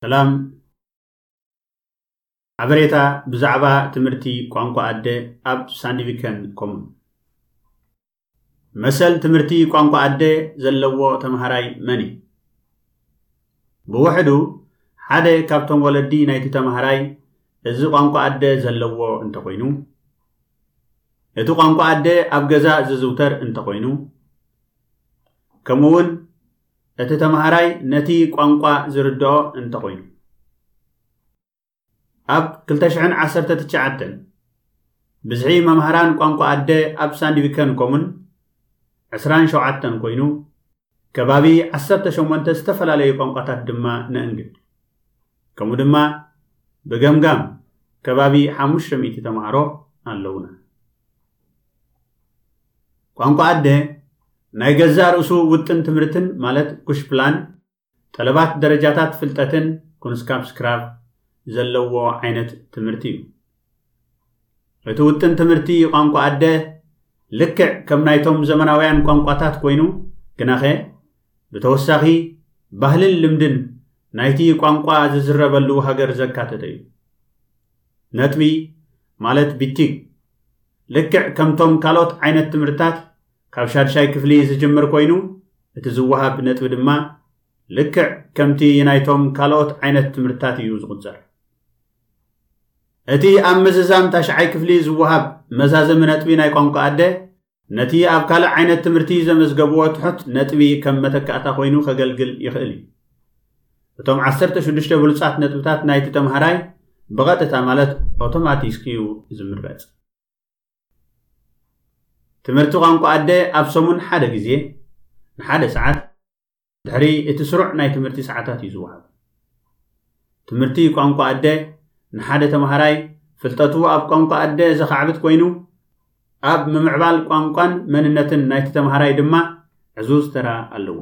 ሰላም። ሓበሬታ ብዛዕባ ትምህርቲ ቋንቋ ኣደ ኣብ ሳንድቪከን ኮሙን። መሰል ትምህርቲ ቋንቋ ኣደ ዘለዎ ተምሃራይ መን እዩ? ብውሕዱ ሓደ ካብቶም ወለዲ ናይቲ ተምሃራይ እዚ ቋንቋ ኣደ ዘለዎ እንተኾይኑ፣ እቲ ቋንቋ ኣደ ኣብ ገዛ ዝዝውተር እንተኾይኑ፣ ከምኡውን እቲ ተምሃራይ ነቲ ቋንቋ ዝርድኦ እንተኾይኑ። ኣብ ክልተ ሽሕን ዓሰርተ ትሽዓተን ብዝሒ መምሃራን ቋንቋ ኣደ ኣብ ሳንድቪከን ኮሙን ዕስራን ሸውዓተን ኮይኑ፣ ከባቢ ዓሰርተ ሸሞንተ ዝተፈላለዩ ቋንቋታት ድማ ነእንግድ። ከምኡ ድማ ብገምጋም ከባቢ ሓሙሽተ ሚእቲ ተምሃሮ ኣለውና። ቋንቋ ኣደ ናይ ገዛእ ርእሱ ውጥን ትምህርትን ማለት ኩሽፕላን፣ ጠለባት ደረጃታት ፍልጠትን ኩንስካፕስክራቭ ዘለዎ ዓይነት ትምህርቲ እዩ። እቲ ውጥን ትምህርቲ ቋንቋ ኣደ ልክዕ ከም ናይቶም ዘመናውያን ቋንቋታት ኮይኑ፣ ግናኸ ብተወሳኺ ባህልን ልምድን ናይቲ ቋንቋ ዝዝረበሉ ሃገር ዘካተተ እዩ። ነጥቢ ማለት ቢቲግ ልክዕ ከምቶም ካልኦት ዓይነት ትምህርትታት ካብ ሻድሻይ ክፍሊ ዝጅምር ኮይኑ፣ እቲ ዝወሃብ ነጥቢ ድማ ልክዕ ከምቲ ናይቶም ካልኦት ዓይነት ትምህርትታት እዩ ዝቑጸር። እቲ ኣብ ምዝዛም ታሽዓይ ክፍሊ ዝወሃብ መዛዘሚ ነጥቢ ናይ ቋንቋ ኣደ ነቲ ኣብ ካልእ ዓይነት ትምህርቲ ዘመዝገብዎ ትሑት ነጥቢ ከም መተካእታ ኮይኑ ከገልግል ይኽእል እዩ። እቶም ዓሰርተ ሽዱሽተ ብሉጻት ነጥብታት ናይቲ ተምሃራይ ብቐጥታ ማለት ኣውቶማቲክ እዩ ዝምረጽ። ትምህርቲ ቋንቋ ኣደ ኣብ ሰሙን ሓደ ግዜ ንሓደ ሰዓት ድሕሪ እቲ ስሩዕ ናይ ትምህርቲ ሰዓታት እዩ ዝወሃብ። ትምህርቲ ቋንቋ ኣደ ንሓደ ተምሃራይ ፍልጠቱ ኣብ ቋንቋ ኣደ ዘኻዕብት ኮይኑ፣ ኣብ ምምዕባል ቋንቋን መንነትን ናይቲ ተምሃራይ ድማ ዕዙዝ ተራ ኣለዎ።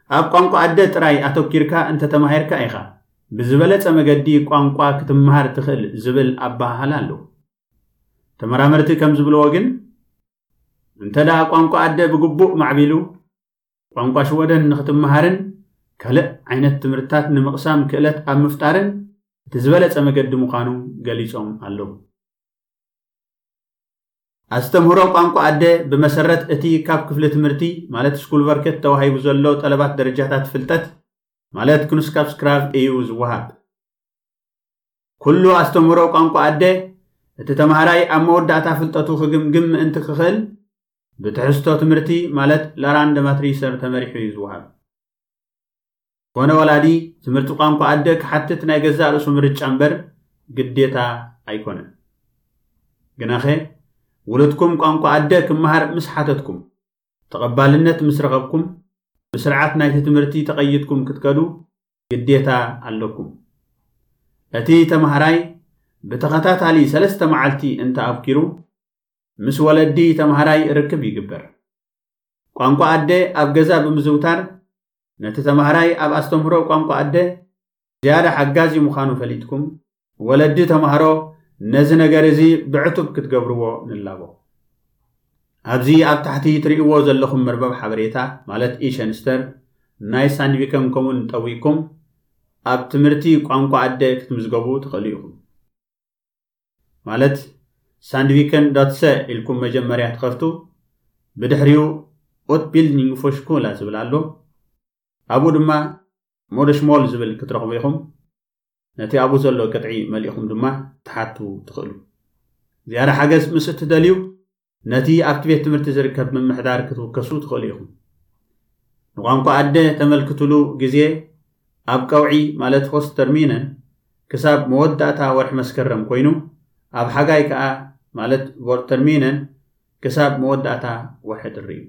ኣብ ቋንቋ ኣደ ጥራይ ኣተኪርካ እንተተማሂርካ ኢኻ ብዝበለጸ መገዲ ቋንቋ ክትመሃር ትኽእል ዝብል ኣበሃህላ ኣሎ። ተመራመርቲ ከም ዝብልዎ ግን፣ እንተ ደኣ ቋንቋ ኣደ ብግቡእ ማዕቢሉ፣ ቋንቋ ሽወደን ንኽትመሃርን ካልእ ዓይነት ትምህርትታት ንምቕሳም ክእለት ኣብ ምፍጣርን እቲ ዝበለጸ መገዲ ምዃኑ ገሊጾም ኣለዉ። ኣስተምህሮ ቋንቋ ኣደ ብመሰረት እቲ ካብ ክፍሊ ትምህርቲ ማለት ስኩልቨርከት ተዋሂቡ ዘሎ ጠለባት ደረጃታት ፍልጠት ማለት ኩንስካፕስክራቭ እዩ ዝወሃብ። ኩሉ ኣስተምህሮ ቋንቋ ኣደ እቲ ተምሃራይ ኣብ መወዳእታ ፍልጠቱ ክግምግም ምእንቲ ክኽእል ብትሕዝቶ ትምህርቲ ማለት ላራንደ ማትሪሰር ተመሪሑ እዩ ዝወሃብ። ኮነ ወላዲ ትምህርቲ ቋንቋ ኣደ ክሓትት ናይ ገዛእ ርእሱ ምርጫ እምበር ግዴታ ኣይኮነን። ግናኸ ውሉድኩም ቋንቋ ኣደ ክመሃር ምስ ሓተትኩም፣ ተቐባልነት ምስ ረኸብኩም፣ ብስርዓት ናይቲ ትምህርቲ ተቐይድኩም ክትከዱ ግዴታ ኣለኩም። እቲ ተምሃራይ ብተኸታታሊ ሰለስተ መዓልቲ እንተ ኣብኪሩ፣ ምስ ወለዲ ተምሃራይ ርክብ ይግበር። ቋንቋ ኣደ ኣብ ገዛ ብምዝውታር ነቲ ተምሃራይ ኣብ ኣስተምህሮ ቋንቋ ኣደ ዝያዳ ሓጋዚ ምዃኑ ፈሊጥኩም፣ ወለዲ ተምሃሮ ነዚ ነገር እዚ ብዕቱብ ክትገብርዎ ንላቦ። ኣብዚ ኣብ ታሕቲ ትርእይዎ ዘለኹም መርበብ ሓበሬታ ማለት ኢሸንስተር ናይ ሳንድቪከን ኮሙን ጠዊቅኩም ኣብ ትምህርቲ ቋንቋ ኣደ ክትምዝገቡ ትኽእሉ ኢኹም። ማለት ሳንድቪከን ዶት ሰ ኢልኩም መጀመርያ ትኸፍቱ፣ ብድሕሪኡ ኡትቢልድኒንግ ፎሽኮላ ዝብል ኣሎ። ኣብኡ ድማ ሞደሽሞል ዝብል ክትረኽቡ ኢኹም። ነቲ ኣብኡ ዘሎ ቅጥዒ መሊእኹም ድማ ትሓቱ ትኽእሉ። ዝያዳ ሓገዝ ምስ እትደልዩ፣ ነቲ ኣብቲ ቤት ትምህርቲ ዝርከብ ምምሕዳር ክትውከሱ ትኽእሉ ኢኹም። ንቋንቋ ኣደ ተመልክትሉ ግዜ ኣብ ቀውዒ ማለት ሆስት ተርሚነን ክሳብ መወዳእታ ወርሒ መስከረም ኮይኑ፣ ኣብ ሓጋይ ከኣ ማለት ቮርተርሚነን ክሳብ መወዳእታ ወርሒ ጥሪ እዩ።